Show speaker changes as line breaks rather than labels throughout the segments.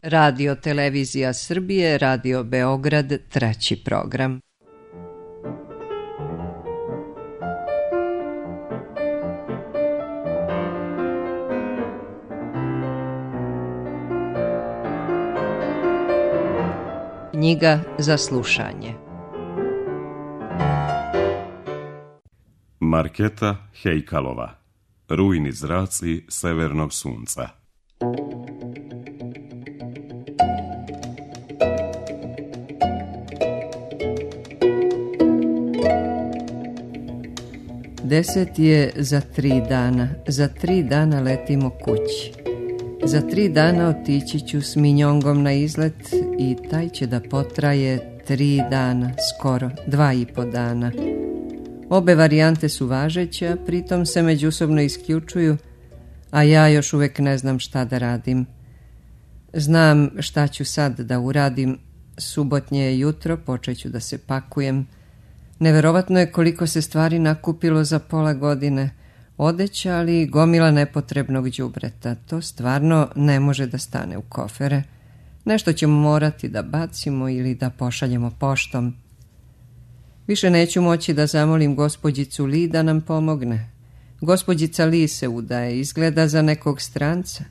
Radio Televizija Srbije, Radio Beograd, 3. program. Knjiga za slušanje.
Marketa Hejkalova. Rujni zraci severnog sunca.
Deset je za 3 dana. Za 3 dana letimo kući. Za 3 dana otići ću s Minjongom na izlet i taj će da potraje 3 dana, skoro 2,5 dana. Obe varijante su važeće, pritom se međusobno isključuju, a ja još uvijek ne znam šta da radim. Znam šta ću sad da uradim. Subotnje je jutro, počet ću da se pakujem. Neverovatno je koliko se stvari nakupilo za pola godine. Odeća, ali i gomila nepotrebnog đubreta. To stvarno ne može da stane u kofere. Nešto ćemo morati da bacimo ili da pošaljemo poštom. Više neću moći da zamolim gospođicu Li da nam pomogne. Gospođica Li se udaje, izgleda za nekog stranca.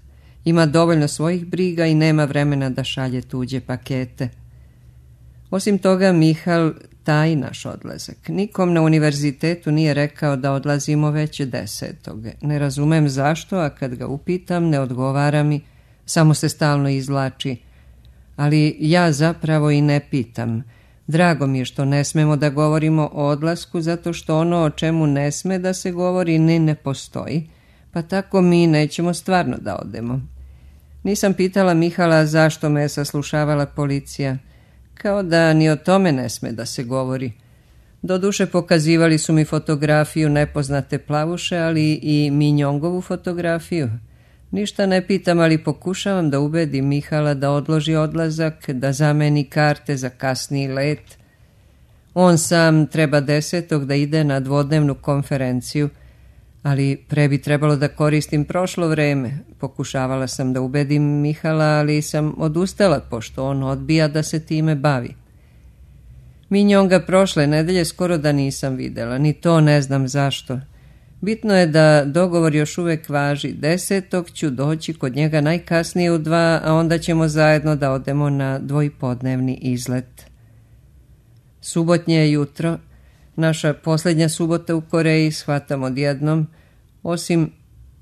Ima dovoljno svojih briga i nema vremena da šalje tuđe pakete. Osim toga, Mihal taji naš odlazak. Nikom na univerzitetu nije rekao da odlazimo već 10. Ne razumem zašto, a kad ga upitam ne odgovara mi, samo se stalno izvlači. Ali ja zapravo i ne pitam. Drago mi je što ne smemo da govorimo o odlasku, zato što ono o čemu ne sme da se govori ni ne postoji, pa tako mi nećemo stvarno da odemo. Nisam pitala Mihala zašto me je saslušavala policija, kao da ni o tome ne sme da se govori. Doduše pokazivali su mi fotografiju nepoznate plavuše, ali i Minjongovu fotografiju. Ništa ne pitam, ali pokušavam da ubedim Mihala da odloži odlazak, da zameni karte za kasniji let. On sam treba 10. da ide na dvodnevnu konferenciju, ali pre bi trebalo da koristim prošlo vreme. Pokušavala sam da ubedim Mihala, ali sam odustala, pošto on odbija da se time bavi. Minjonga prošle nedelje skoro da nisam videla, ni to ne znam zašto. Bitno je da dogovor još uvijek važi. 10. ću doći kod njega najkasnije u 2, a onda ćemo zajedno da odemo na 2,5-dnevni izlet. Subotnje je jutro. Naša posljednja subota u Koreji, shvatam odjednom,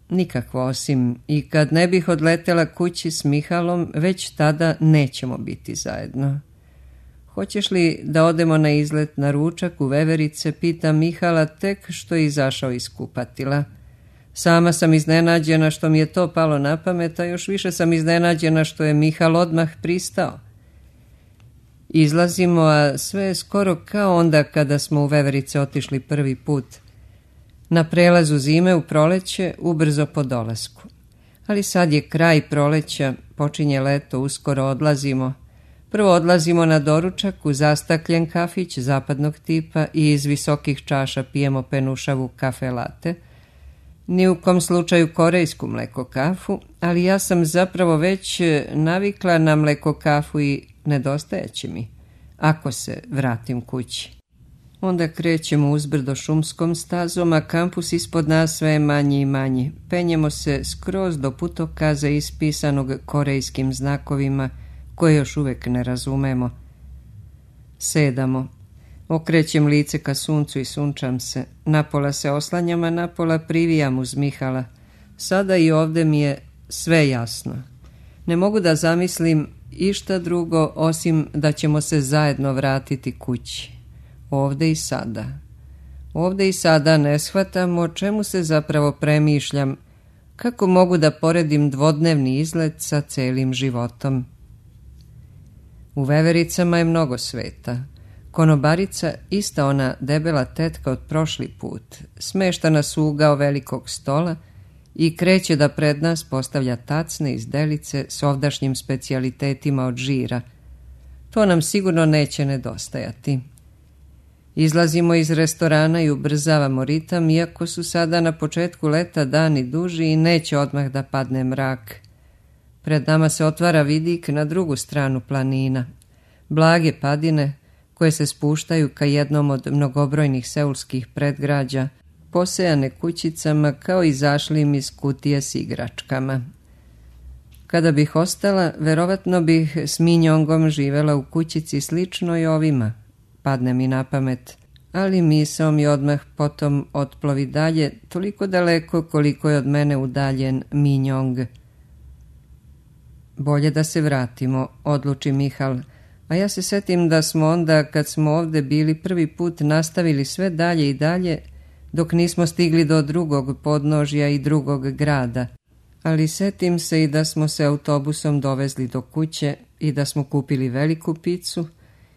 nikakvo osim, i kad ne bih odletela kući s Mihalom, već tada nećemo biti zajedno. Hoćeš li da odemo na izlet na ručak u Veverice, pita Mihala tek što je izašao iz kupatila. Sama sam iznenađena što mi je to palo na pamet, a još više sam iznenađena što je Mihal odmah pristao. Izlazimo, a sve je skoro kao onda kada smo u Veverice otišli prvi put. Na prelazu zime u proleće, ubrzo po dolasku. Ali sad je kraj proleća, počinje leto, uskoro odlazimo. Prvo odlazimo na doručak u zastakljen kafić zapadnog tipa i iz visokih čaša pijemo penušavu kafe latte. Ni u kom slučaju korejsku mleko kafu, ali ja sam zapravo već navikla na mleko kafu i nedostajeće mi, ako se vratim kući. Onda krećemo uzbrdo šumskom stazom, a kampus ispod nas sve je manji i manji. Penjemo se skroz do putokaza ispisanog korejskim znakovima, koje još uvijek ne razumemo. Sedamo. Okrećem lice ka suncu i sunčam se. Napola se oslanjam, a napola privijam uz Mihala. Sada i ovdje mi je sve jasno. Ne mogu da zamislim išta drugo osim da ćemo se zajedno vratiti kući. Ovdje i sada. Ovdje i sada ne shvatam o čemu se zapravo premišljam. Kako mogu da poredim dvodnevni izlet sa celim životom? U Vevericama je mnogo sveta. Konobarica, ista ona debela tetka od prošli put, smešta nas u ugao velikog stola i kreće da pred nas postavlja tacne iz delice s ovdašnjim specijalitetima od žira. To nam sigurno neće nedostajati. Izlazimo iz restorana i ubrzavamo ritam, iako su sada na početku leta dani duži i neće odmah da padne mrak. Pred nama se otvara vidik na drugu stranu planina. Blage padine koje se spuštaju ka jednom od mnogobrojnih seulskih predgrađa, posejane kućicama kao izašlim iz kutije s igračkama. Kada bih ostala, verovatno bih s Minjongom živela u kućici sličnoj ovima, padne mi na pamet, ali misao mi odmah potom otplovi dalje, toliko daleko koliko je od mene udaljen Minjong. Bolje da se vratimo, odluči Mihal, a ja se setim da smo onda, kad smo ovde bili prvi put, nastavili sve dalje i dalje, dok nismo stigli do drugog podnožja i drugog grada. Ali setim se i da smo se autobusom dovezli do kuće i da smo kupili veliku picu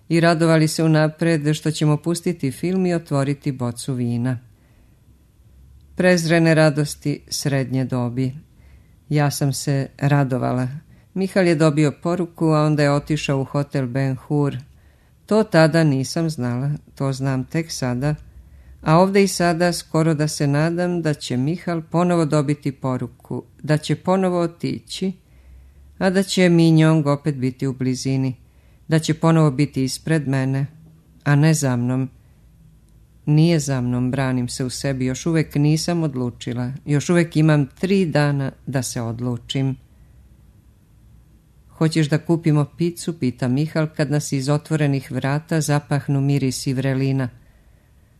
i radovali se unapred što ćemo pustiti film i otvoriti bocu vina. Prezrene radosti srednje dobi. Ja sam se radovala. Mihal je dobio poruku, a onda je otišao u hotel Ben Hur. To tada nisam znala, to znam tek sada, a ovdje i sada skoro da se nadam da će Mihal ponovo dobiti poruku, da će ponovo otići, a da će Minjong opet biti u blizini, da će ponovo biti ispred mene, a ne za mnom. Nije za mnom, branim se u sebi, još uvijek nisam odlučila, još uvijek imam 3 dana da se odlučim. Hoćeš da kupimo picu, pita Mihal kad nas iz otvorenih vrata zapahnu mirisi vrelina.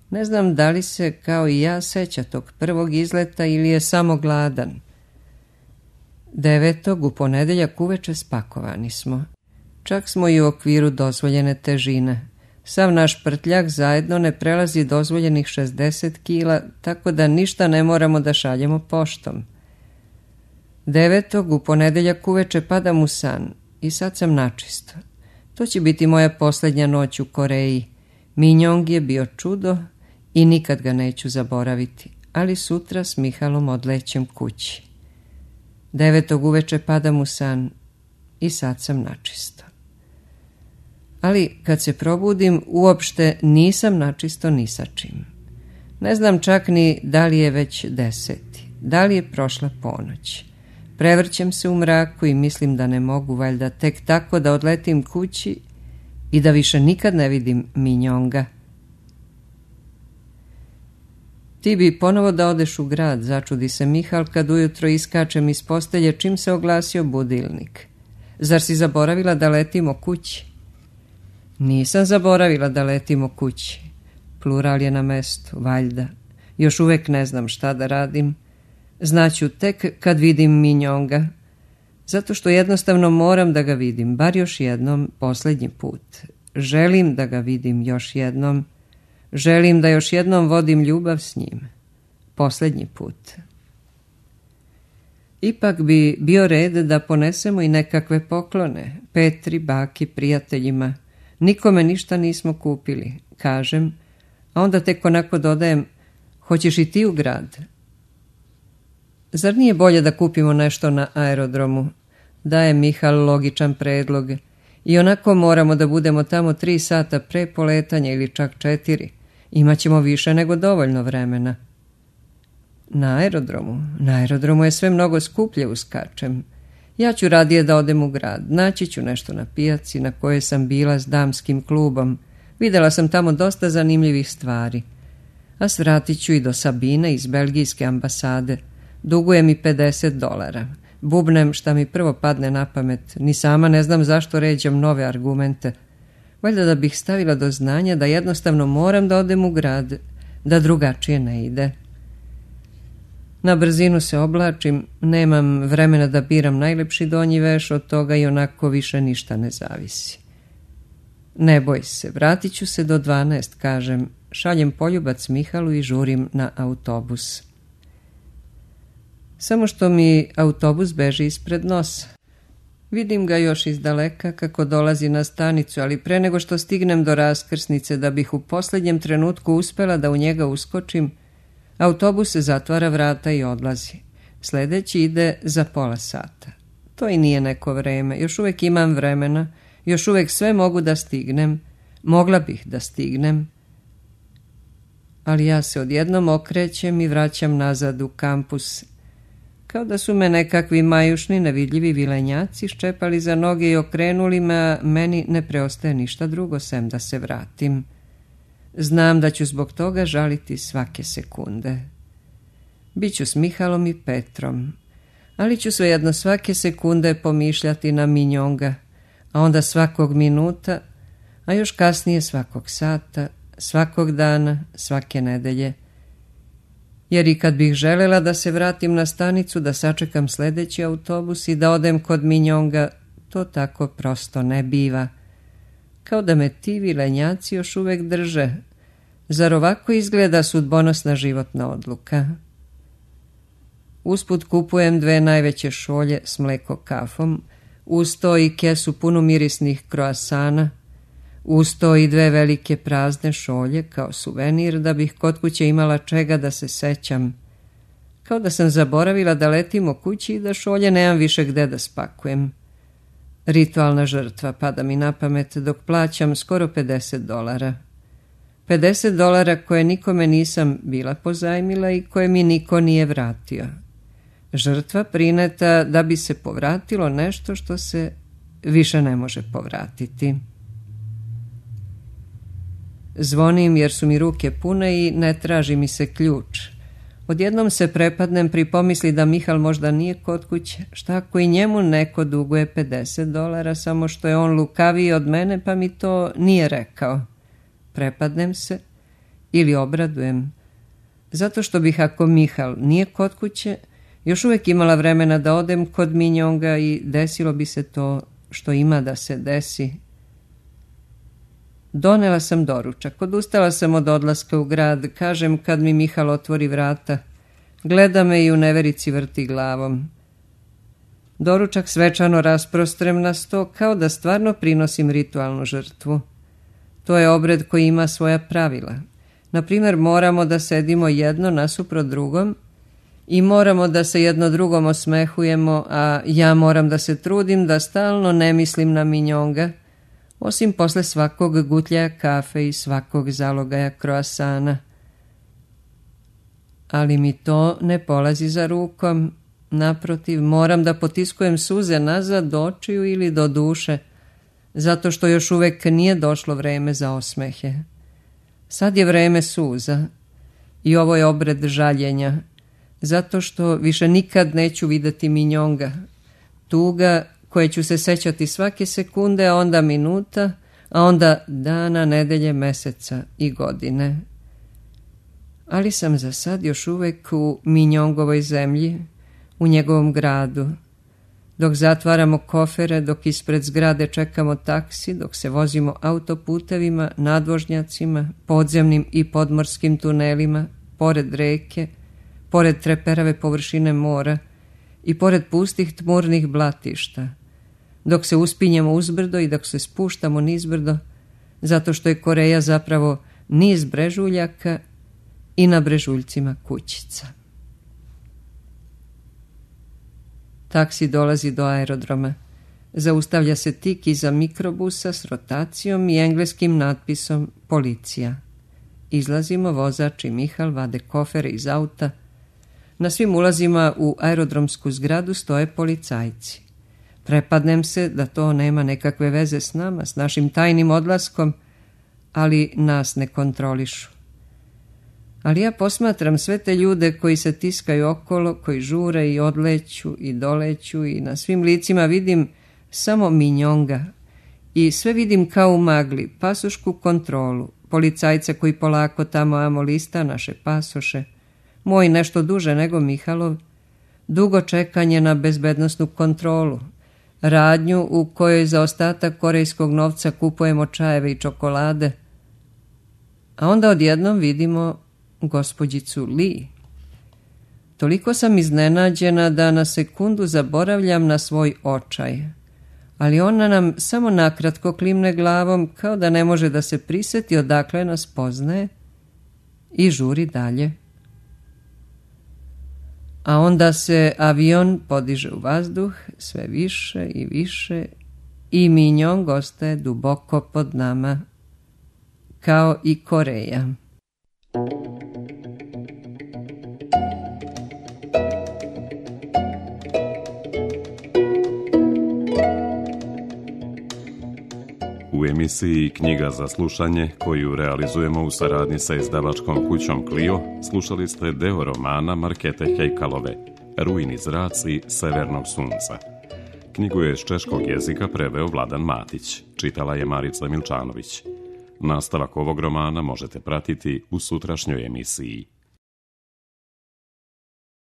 Ne znam da li se, kao i ja, seća tog prvog izleta ili je samo gladan. 9. u ponedeljak uveče spakovani smo. Čak smo i u okviru dozvoljene težine. Sav naš prtljak zajedno ne prelazi dozvoljenih 60 kila, tako da ništa ne moramo da šaljemo poštom. 9. u ponedeljak uveče padam u san i sad sam načisto. To će biti moja posljednja noć u Koreji. Minjong je bio čudo i nikad ga neću zaboraviti, ali sutra s Mihalom odlećem kući. 9. uveče padam u san i sad sam načisto. Ali kad se probudim, uopšte nisam načisto ni sa čim. Ne znam čak ni da li je već 10, da li je prošla ponoć. Prevrćem se u mraku i mislim da ne mogu valjda tek tako da odletim kući i da više nikad ne vidim Minjonga. Ti bi ponovo da odeš u grad, začudi se Mihal kad ujutro iskačem iz postelje čim se oglasio budilnik. Zar si zaboravila da letimo kući? Nisam zaboravila da letimo kući. Plural je na mestu, valjda. Još uvijek ne znam šta da radim. Znaću tek kad vidim Minjonga. Zato što jednostavno moram da ga vidim, bar još jednom, posljednji put. Želim da ga vidim još jednom. Želim da još jednom vodim ljubav s njim. Posljednji put. Ipak bi bio red da ponesemo i nekakve poklone. Petri, baki, prijateljima. Nikome ništa nismo kupili, kažem, a onda tek onako dodajem, hoćeš i ti u grad? Zar nije bolje da kupimo nešto na aerodromu? Daje Mihal logičan predlog. I onako moramo da budemo tamo 3 sata pre poletanja ili čak 4. Imaćemo više nego dovoljno vremena. Na aerodromu je sve mnogo skuplje, uskačem. Ja ću radije da odem u grad. Naći ću nešto na pijaci na kojoj sam bila s damskim klubom. Videla sam tamo dosta zanimljivih stvari. A svratit ću i do Sabine iz belgijske ambasade. Duguje mi $50. Bubnem šta mi prvo padne na pamet. Ni sama ne znam zašto ređam nove argumente. Valjda da bih stavila do znanja da jednostavno moram da odem u grad, da drugačije ne ide. Na brzinu se oblačim, nemam vremena da biram najlepši donji veš, od toga i onako više ništa ne zavisi. Ne boj se, vratit ću se do 12, kažem, šaljem poljubac Mihalu i žurim na autobus. Samo što mi autobus beži ispred nosa. Vidim ga još iz daleka kako dolazi na stanicu, ali pre nego što stignem do raskrsnice da bih u posljednjem trenutku uspela da u njega uskočim, autobus se zatvara vrata i odlazi. Sljedeći ide za pola sata. To i nije neko vreme, još uvijek imam vremena, još uvijek sve mogu da stignem, mogla bih da stignem. Ali ja se odjednom okrećem i vraćam nazad u kampus. kao da su me nekakvi majušni nevidljivi vilenjaci ščepali za noge i okrenuli me, a meni ne preostaje ništa drugo sem da se vratim. Znam da ću zbog toga žaliti svake sekunde. Biću s Mihalom i Petrom, ali ću svejedno svake sekunde pomišljati na Minjonga, a onda svakog minuta, a još kasnije svakog sata, svakog dana, svake nedelje. Jer i kad bih želela da se vratim na stanicu, da sačekam sljedeći autobus i da odem kod Minjonga, to tako prosto ne biva. Kao da me ti vilenjaci još uvek drže. Zar ovako izgleda sudbonosna životna odluka? Usput kupujem 2 najveće šolje s mleko kafom, uz to i kesu punu mirisnih kroasana, uz to i 2 velike prazne šolje kao suvenir da bih kod kuće imala čega da se sećam. Kao da sam zaboravila da letimo kući i da šolje nemam više gde da spakujem. Ritualna žrtva pada mi na pamet dok plaćam skoro $50. $50 koje nikome nisam bila pozajmila i koje mi niko nije vratio. Žrtva prineta da bi se povratilo nešto što se više ne može povratiti. Zvonim jer su mi ruke pune i ne traži mi se ključ. Odjednom se prepadnem pri pomisli da Mihal možda nije kod kuće. Šta ako i njemu neko duguje $50, samo što je on lukaviji od mene pa mi to nije rekao. Prepadnem se ili obradujem, zato što bih ako Mihal nije kod kuće, još uvijek imala vremena da odem kod Minjonga i desilo bi se to što ima da se desi. Donela sam doručak, odustala sam od odlaska u grad, kažem kad mi Mihal otvori vrata. Gleda me i u neverici vrti glavom. Doručak svečano rasprostrem na sto kao da stvarno prinosim ritualnu žrtvu. To je obred koji ima svoja pravila. Naprimjer, moramo da sedimo jedno nasuprot drugom i moramo da se jedno drugom osmehujemo, a ja moram da se trudim da stalno ne mislim na Minjonga, osim posle svakog gutljaja kafe i svakog zalogaja kroasana. Ali mi to ne polazi za rukom. Naprotiv, moram da potiskujem suze nazad do očiju ili do duše, zato što još uvek nije došlo vreme za osmehe. Sad je vreme suza i ovo je obred žaljenja, zato što više nikad neću videti Minjonga. Tuga koje ću se sećati svake sekunde, a onda minuta, a onda dana, nedelje, meseca i godine. Ali sam za sad još uvek u Minjongovoj zemlji, u njegovom gradu. Dok zatvaramo kofere, dok ispred zgrade čekamo taksi, dok se vozimo autoputevima, nadvožnjacima, podzemnim i podmorskim tunelima, pored reke, pored treperave površine mora i pored pustih tmurnih blatišta, dok se uspinjemo uzbrdo i dok se spuštamo nizbrdo, zato što je Koreja zapravo niz brežuljaka i na brežuljcima kućica. Taksi dolazi do aerodroma. Zaustavlja se tik iza mikrobusa s rotacijom i engleskim natpisom policija. Izlazimo, vozač i Mihal vade kofere iz auta. Na svim ulazima u aerodromsku zgradu stoje policajci. Prepadnem se da to nema nekakve veze s nama, s našim tajnim odlaskom, ali nas ne kontrolišu. Ali ja posmatram sve te ljude koji se tiskaju okolo, koji žure i odleću i doleću i na svim licima vidim samo Minjonga. I sve vidim kao u magli, pasošku kontrolu, policajca koji polako tamo amo lista naše pasoše, moj nešto duže nego Mihalov, dugo čekanje na bezbednosnu kontrolu, radnju u kojoj za ostatak korejskog novca kupujemo čajeve i čokolade, a onda odjednom vidimo gospođicu Lee. Toliko sam iznenađena da na sekundu zaboravljam na svoj očaj, ali ona nam samo nakratko klimne glavom kao da ne može da se priseti odakle nas poznaje i žuri dalje. A onda se avion podiže u vazduh sve više i više i Minjong ostaje duboko pod nama, kao i Koreja.
U emisiji Knjiga za slušanje, koju realizujemo u saradnji sa izdavačkom kućom Clio, slušali ste deo romana Markete Hejkalove, Rujni zraci severnog sunca. Knjigu je s češkog jezika preveo Vladan Matić, čitala je Marica Milčanović. Nastavak ovog romana možete pratiti u sutrašnjoj emisiji.